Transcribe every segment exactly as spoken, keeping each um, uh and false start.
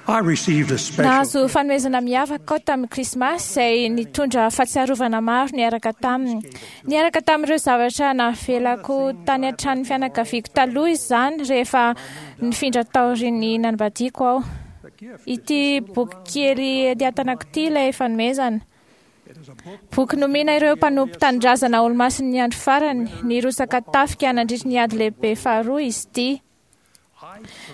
I received a special Nahazo fanomezana miavaka aho tamin'ny Krismasy izay nitondra fahatsiarovana maro niaraka taminy. Niaraka tamin'ireo zavatra navelako tany an-tranon'ny fianakaviako taloha izany rehefa nifindra taorian'ny nanambadiako aho. Ity boky kely ety an-tanako ity ilay fanomezana. Boky nomena ireo mpanompo tanindrazana olomasin'ny andro farany nirotsaka tafika nandritry ny ady lehibe faharoa izy ity.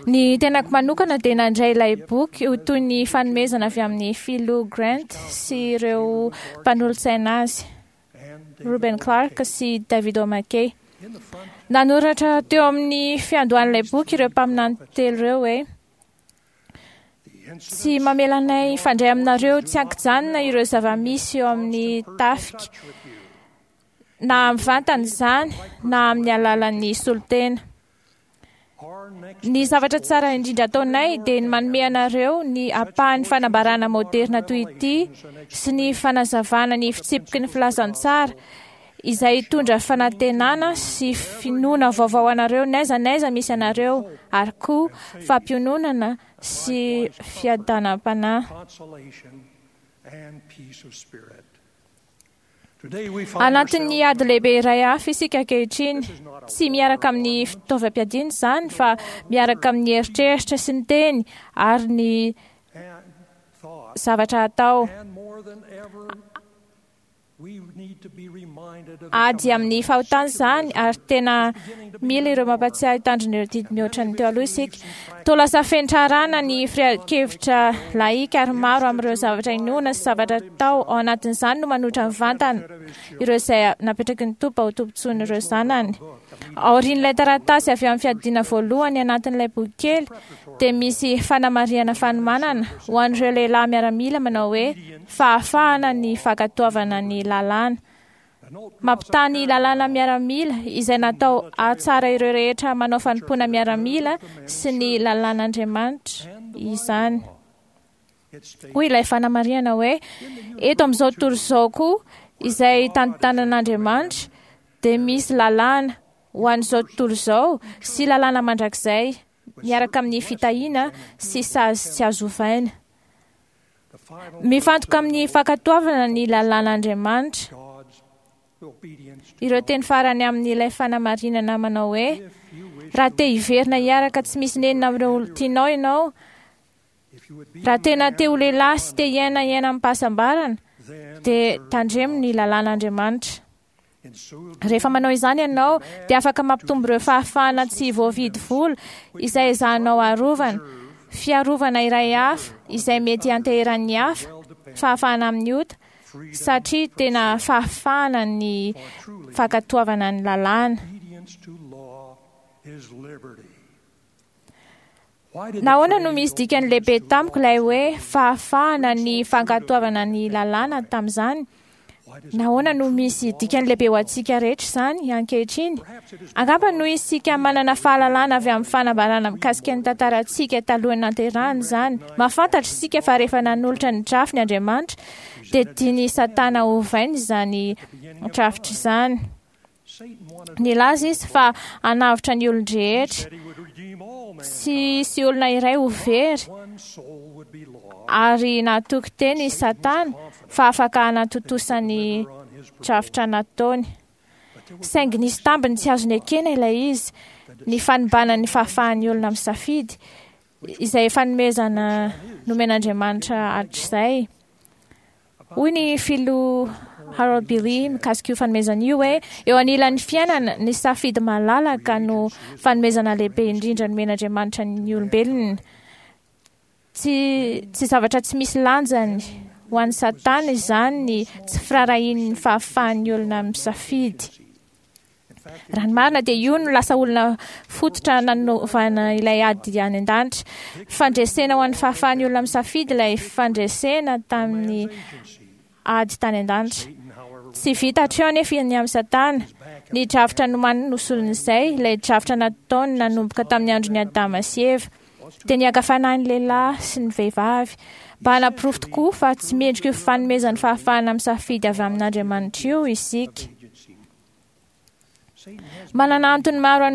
Ny tenako manokana dia nandray ilay boky ho toy ny fanomezana avy amin'ny Filoha Grant sy ireo mpanolotsaina azy, Reuben Clark sy David O. McKay. Nanoratra teo amin'ny fiandohan'ilay boky ireo mpaminany telo ireo hoe: tsy mamela anay hifandray aminareo tsy an-kijanona ireo zava-misy eo amin'ny tafika, na mivantana izany na amin'ny alalan'ny solontena. Ny zavatra tsara indrindra ataonay dia ny manome anareo ny ampahan'ny fanambarana moderna toy ity sy ny fanazavana ny fitsipiky ny filazantsara izay hitondra fanantenana sy finoana vaovao anareo n'aiza n'aiza misy anareo, ary koa fampiononana sy fiadanam-panahy. consolation and peace of spirit. Today we find Anatin'ny ourselves ady lehibe iray hafa isika ankehitriny. Tsy miaraka amin'ny fitaovam-piadiana izany fa miaraka amin'ny eritreritra sy ny teny ary ny and thought, zavatra atao. and more than ever, we need to be reminded of the Ady amin'ny commandments. fahotana izany ary tena mila ireo mampatsiahy tandrina ireo didy mihoatra ny teo aloha isika. Toa lasa fentrarana ny firehan-kevitra laika ary maro amin'ireo zavatra inoana sy zavatra atao ao anatin'izany no manohitra mivantana ireo izay napetraky ny Tompo ho tombontsoan'ireo zanany. Aorian'ilay taratasy avy amin'ny fiadiana voalohany anatin'ilay boky kely dia misy fanamarihana fanomanana ho an'ireo lehilahy miaramila manao hoe fahafahana ny fankatoavana ny lalàna. Mampitaha ny lalàna miaramila izay natao hahatsara ireo rehetra manao fanompoana miaramila sy ny lalàn'Andriamanitra izany. It states Hoy ilay fanamarihana hoe eto amin'izao tontolo izao koa izay tantanan'Andriamanitra dia misy lalàna ho an'izao tontolo izao sy lalàna mandrakizay miaraka amin'ny fitahiana sy sazy tsy azo ovaina. the final Mifantoka amin'ny fankatoavana ny lalàn'Andriamanitra God's obedience to ireo teny farany amin'ilay fanamarinana manao hoe if you wish raha te hiverina hiaraka tsy misy nenina amin'ireo olon tianao ianao, if you would be raha tena te ho lehilahy sy te hiaina hiaina amim-pahasambarana then dia tandremo ny lalàn'Andriamanitra. in so Rehefa manao izany ianao dia afaka mampitombo ireo fahafahana tsy voavidy vola izay ezahanao arovana, fiarovana iray hafa izay mety hianteheran'ny hafa, fahafahana amin'ny ota, satria tena fahafahana ny fankatoavana ny lalàna. obedience to law is liberty. Why did the Nahoana no phrase misy dikany lehibe obedience to tamiko law ilay hoe fahafahana ny fankatoavana ny lalàna tamin'izany? Why does it Nahoana no misy dikany lehibe ho antsika rehetra izany ankehitriny? Perhaps it is Angamba noho isika manana fahalalana avy amin'ny fanambarana mikasika ny tantarantsika talohan'ny nanterahana izany. Mahafantatra isika fa rehefa nanolotra ny drafiny Andriamanitra dia tian'i Satana hovaina izany drafitra izany. Satan wanted Nilaza izy fa hanavotra ny olon-drehetra, said he would redeem all tsy mankind. hisy olona iray ho very. One soul would be lost. Ary natoky teny i Satana fa afaka hanatontosa ny Deliver on his proposal. drafitra nataony. But there were Saingy nisy tambiny tsy azo nekena ilay izy, ny fanimbana ny fahafahan'ny olona misafidy, izay fanomezana nomen'Andriamanitra hatrizay. Hoy ny filoha Harold Billy mikasika io fanomezana io hoe eo anilan'ny fiainana ny safidy malalaka no fanomezana lehibe indrindra nomen'Andriamanitra ny olombelona. Tsy, tsy zavatra tsy misy lanjany ho an'ny Satana izany ny tsy firaharahian'ny fahafahan'ny olona misafidy. In fact, Raha ny marina dia io no lasa olona fototra nanovana ilay ady any an-danitra. Fandresena ho an'ny fahafahan'ny olona misafidy ilay fandresena tamin'ny agency. ady tany an-danitra. Satan, however, Tsy vita hatreo anefa ny amin'ny Satana. Ny drafitra nomaniny no solon'izay, ilay drafitra nataony nanomboka tamin'ny andron'i Adama sy Eva. Dia niaka fanahy ny lehilahy sy ny vehivavy mba hanaporofo tokoa fa tsy mendrika io fanomezan'ny fahafahana misafidy avy amin'Andriamanitra io isika. agency. Manana antony maro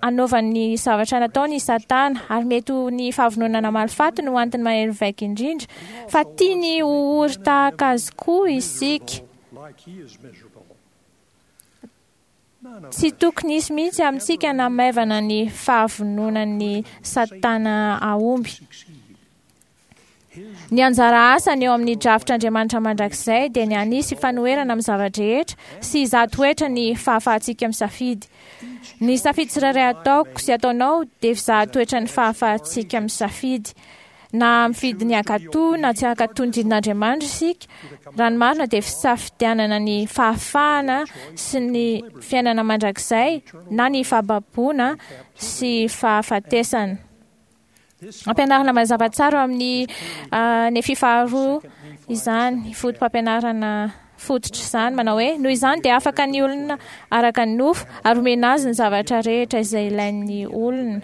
anaovany zavatra nataony i Satana, ary mety ho ny fahavononana malifaty no antony mahery vaika indrindra, fa tiany ho ory tahaka azy koa isika. Tsy tokony hisy mihitsy amintsika namaivana ny fahavononan'ny Satana ahomby. Ny anjara asany eo amin'ny drafitr'Andriamanitra mandrakizay dia ny hanisy fanoherana amin'ny zava-drehetra sy hizaha toetra ny fahafahantsika misafidy. Ny safidy tsirairay ataoko sy ataonao dia fizaha toetra ny fahafahantsika misafidy. Na mifidy ny hankatò na tsy hankatò ny didin'Andriamanitra isika, raha ny marina dia fisafidianana ny fahafahana sy ny fiainana mandrakizay na ny fahababoana sy fahafatesana. Ampianarina mazava tsara amin'ny Nefy faharoa izany, foto-pampianarana fototra izany, manao hoe noho izany dia afaka ny olona araka ny nofo ary omena azy ny zavatra rehetra izay ilain'ny olona.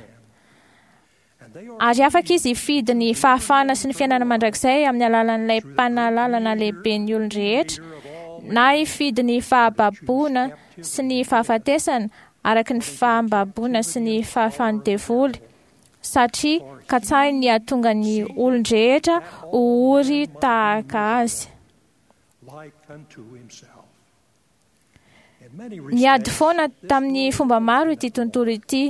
Ary afaka izy hifidy ny fahafahana sy ny fiainana mandrakizay amin'ny alalan'ilay mpanalalana lehibe ny olon-drehetra, na hifidy ny fahababoana sy ny fahafatesana araka ny fahababoana sy ny fahafahan'ny devoly, satria katsahiny ny hahatonga ny olon-drehetra ho ory tahaka azy. Niady foana tamin'ny fomba maro ity tontolo ity.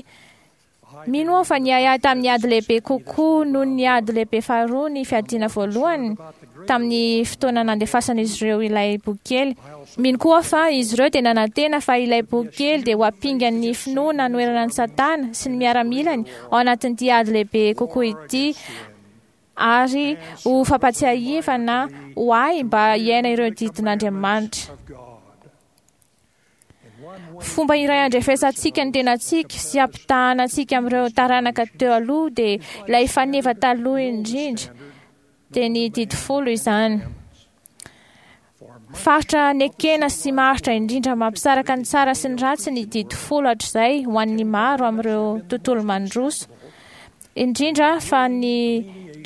Mino aho fa niahiahy tamin'ny ady lehibe kokoa noho ny ady lehibe faharoa ny fiadiana voalohany tamin'ny fotoana nandefasan'izy ireo ilay boky kely. Mino koa aho fa izy ireo dia nanantena fa ilay boky kely dia ho ampingan'ny finoana hanoherana an'i Satana sy ny miaramilany ao anatin'ity ady lehibe kokoa ity, ary ho fampatsiahivana ho ahy mba hiaina ireo didin'Andriamanitra. Fomba iray andrefesantsika ny tenantsika sy ampitahana antsika amin'ireo taranaka teo aloha dia ilay faneva taloha indrindra, dia ny didy folo izany. Faritra nekena sy maharitra indrindra mampisaraka ny tsara sy ny ratsy ny didy folo hatrizay ho an'ny maro amin'ireo tontolo mandroso, indrindra fa ny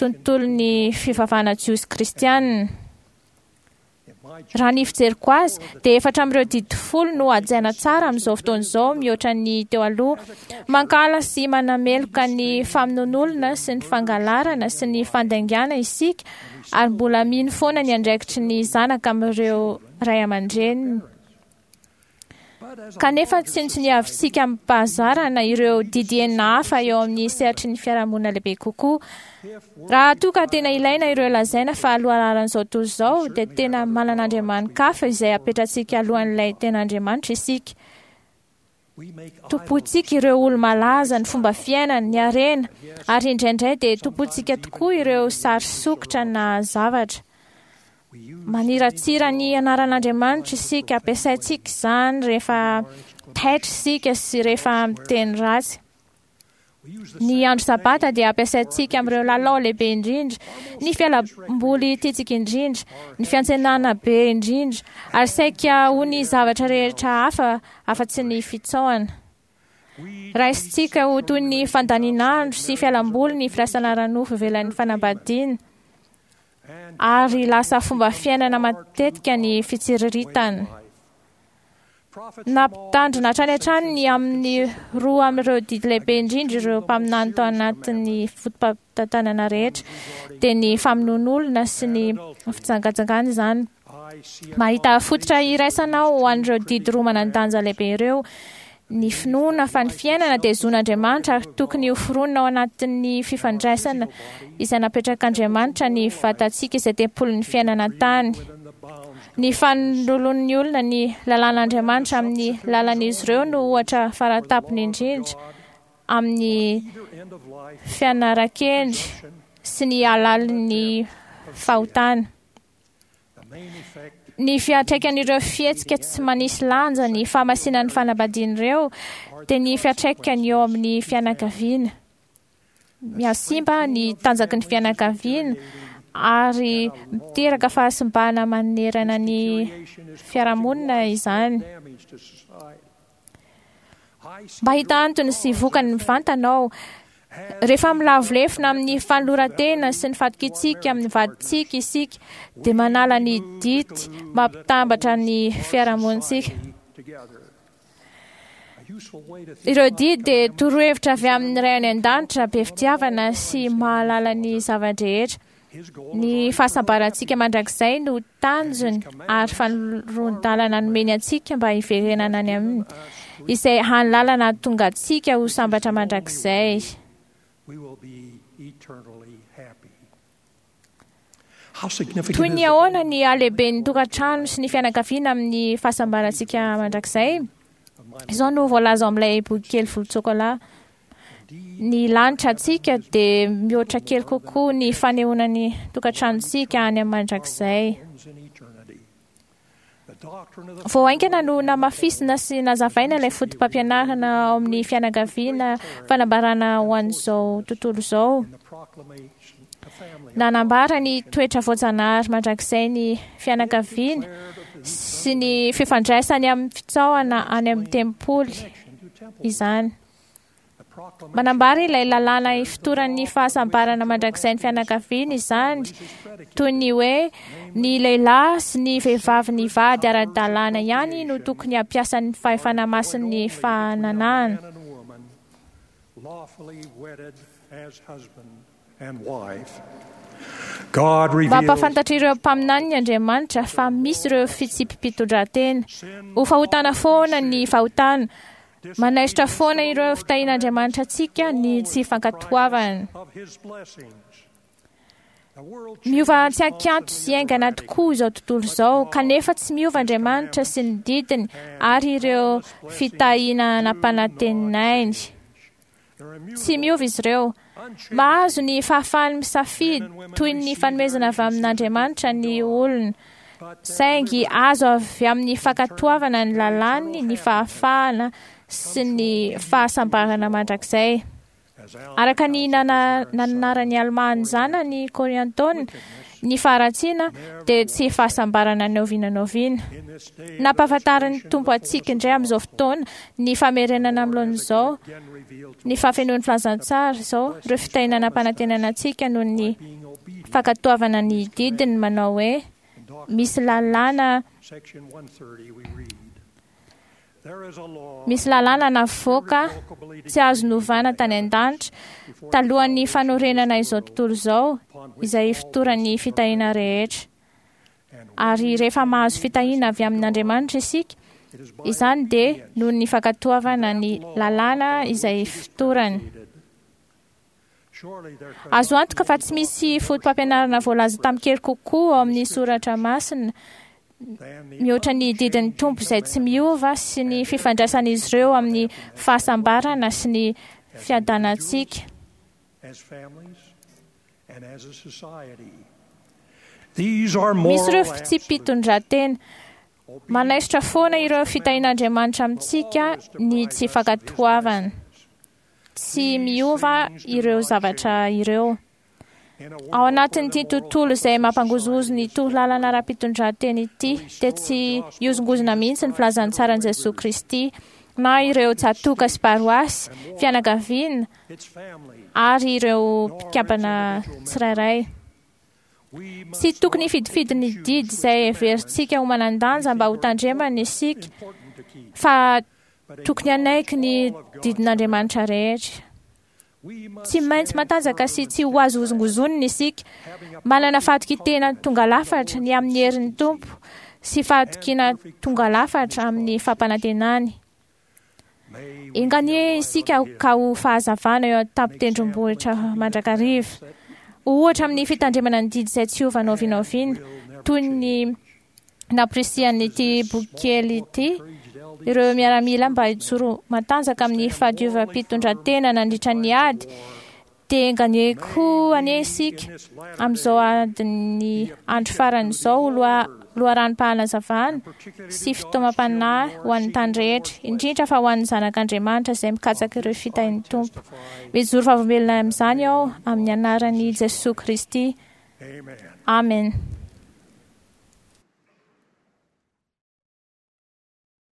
tontolon'ny fivavahana jiosy kristianina. Raha ny fijeriko azy dia efatra amin'ireo didy folo no hajaina tsara amin'izao fotoana izao mihoatra ny teo aloha. Mankahala sy manameloka ny famonoan'olona sy ny fangalarana sy ny fandaingana isika, ary mbola mino foana ny andraikitry ny zanaka amin'ireo ray aman-dreniny. Kanefa tsinontsiniavintsika amim-pahazarana ireo didy enina hafa eo amin'ny sehatry ny fiarahamonina lehibe kokoa. Raha toa ka tena ilaina ireo lazaina fa lohalaharan'izao tontolo izao, dia tena manana Andriamani-kafa izay apetratsika alohan'ilay tena Andriamanitra isika. Tompontsika ireo olo-malaza, ny fomba fiainany, ny harena, ary indraindray dia tompontsika tokoa ireo sary sokitra na zavatra. Maniratsira ny anaran'Andriamanitra isika, ampiasaintsika izany rehefa taitra isika sy rehefa miteny ratsy. Ny andro sabata dia ampiasaintsika amin'ireo lalao lehibe indrindra, ny fialamboly tiantsika indrindra, ny fiantsenana be indrindra, ary saika ho ny zavatra rehetra hafa afa-tsy ny fitsaohana. Raisintsika ho toy ny fandanian'andro sy fialamboly ny firaisana ara-nofo ivelan'ny fanambadiana, ary lasa fomba fiainana matetika ny fitsiriritana. Nampitandrina hatrany hatrany ny amin'ny roa amin'ireo didy lehibe indrindra ireo mpaminany tao anatin'ny foto-pampitantanana rehetra, dia ny famonoan'olona sy ny fijangajangana izany. Mahita fototra iraisana ho an'ireo didy roa manan-danja lehibe ireo, ny finoana fa ny fiainana dia zon'Andriamanitra ary tokony hoforonina ao anatin'ny fifandraisana izay napetrak'Andriamanitra ny vatantsika izay tempolin'ny fiainana an-tany. Ny fanoloan'ny olona ny lalàn'Andriamanitra amin'ny lalan'izy ireo no ohatra faratapony indrindra amin'ny fianaran-kendry sy ny halalin'ny fahotana. Ny fiantraikan'ireo fihetsika tsy manisy lanja ny fahamasinan'ny fanambadian'ireo dia ny fiantraikany eo amin'ny fianakaviana. Mihasimba ny tanjaky ny fianakaviana ary miteraka fahasimbana manerana ny fiarahamonina izany. Mba hita antony sy vokany mivantana ao, rehefa milavo lefona amin'ny fanoloran-tena sy ny fatokiantsika amin'ny vadintsika isika, dia manala ny dity mampitambatra ny fiarahamonintsika. Ireo didy dia torohevitra avy amin'ny Ray any an-danitra be fitiavana sy mahalala ny zava-drehetra. Ny fahasambarantsika mandrakizay no tanjony ary fanoroan-dalana nomeny antsika mba hiverenana any aminy, izay hany lalana hahatonga antsika ho sambatra mandrakizay. Toy ny ahoana ny halehiben'ny tokantrano sy ny fianakaviana amin'ny fahasambarantsika mandrakizay? Izao no voalaza ao amin'ilay boky kely volon-tsokola. Ny lanitra antsika dia mihoatra kely kokoa ny fanehoana ny tokantranontsika any amin'ny mandrakizay. Vao haingana no namafisina sy nazavaina ilay foto-pampianarana ao amin'ny fianakaviana fanambarana ho an'izao tontolo izao. Nanambara ny toetra voajanahary mandrakizay ny fianakaviana sy ny fifandraisany amin'ny fitsaohana any amin'ny tempoly izany. Manambara ilay lalàna ifotoran'ny fahasambarana mandrakizay ny fianakaviana izany, toy ny hoe ny lehilahy sy ny vehivavy nivady ara-dalàna ihany no tokony hampiasa ny fahefana masin'ny fahananana. Mampahafantatra ireo mpaminaniny Andriamanitra fa misy ireo fitsipi-pitondran-tena. Ho fahotana foana ny fahotana. Manaisotra foana ireo fitahian'Andriamanitra antsika ny tsy fankatoavana. Miova tsy an-kianto sy haingana tokoa izao tontolo izao, kanefa tsy miova Andriamanitra sy ny didiny ary ireo fitahiana nampanantenainy. Tsy miova izy ireo. Mahazo ny fahafahany misafidy toy ny fanomezana avy amin'Andriamanitra ny olona, saingy azo avy amin'ny fankatoavana ny lalàny ny fahafahana sy ny fahasambarana mandrakizay. Araka ny nananarany Almà ny zanany Kôriantôna, ny faharatsiana dia tsy fahasambarana na oviana na oviana. Nampahafantarin'ny Tompo antsika indray amin'izao fotoana ny famerenana amin'ny laoniny izao, ny fahafenoan'ny filazantsara izao, ireo fitahiana nampanantenana antsika noho ny fankatoavana ny didiny manao hoe misy lalàna misy lalàna navoaka tsy azo novana tany an-danitra talohan'ny fanorenana izao tontolo izao, izay ifotoran'ny fitahiana rehetra. Ary rehefa mahazo fitahiana avy amin'Andriamanitra isika, izany dia noho ny fankatoavana ny lalàna izay ifotorany. Azo antoka fa tsy misy foto-pampianarana voalaza tamin-kery kokoa ao amin'ny soratra masina mihoatra ny didin'ny Tompo izay tsy miova sy ny fifandraisan'izy ireo amin'ny fahasambarana sy ny fiadanantsika. Misy ireo fitsipi-pitondran-tena. Manaisotra foana ireo fitahian'Andriamanitra amintsika ny tsy fankatoavana. Tsy miova ireo zavatra ireo. Ao anatin'ity tontolo izay mampangozohozo ny torolalana ara-pitondran-tena ity, dia tsy hiozongozona mihitsy ny filazantsaran'i Jesoa Kristy na ireo tsatoka sy paroasy, fianakaviana ary ireo mpikambana tsirairay. Tsy tokony hifidifidy ny didy izay heverintsika ho manan-danja mba ho tandremana isika, fa tokony hanaiky ny didin'Andriamanitra rehetra. Tsy maintsy matanjaka sy tsy ho azo hozongozonina isika. Manana fahatokian-tena tonga lafatra ny amin'ny herin'ny Tompo sy fahatokiana tonga lafatra amin'ny fampanantenany. Enga anie isika ka ho fahazavana eo an-tampon-tendrombohitra mandrakariva. Ohatra amin'ny fitandremana ny didy izay tsy hiova na oviana na oviana, toy ny namporisihan'ity boky kely ity ireo miaramila mba hijoro matanjaka amin'ny fahadiovam-pitondran-tena nandritra ny ady, dia enga anie koa anie isika amin'izao adin'ny andro farany izao ho loharanom-pahanazavana sy fitaomam-panahy ho an'ny tany rehetra, indrindra fa ho an'ny zanak'Andriamanitra izay mikatsaka ireo fitahian'ny Tompo. Mijoro vavolombelona amin'izany aho amin'ny anaran'i Jesoa Kristy. Amen.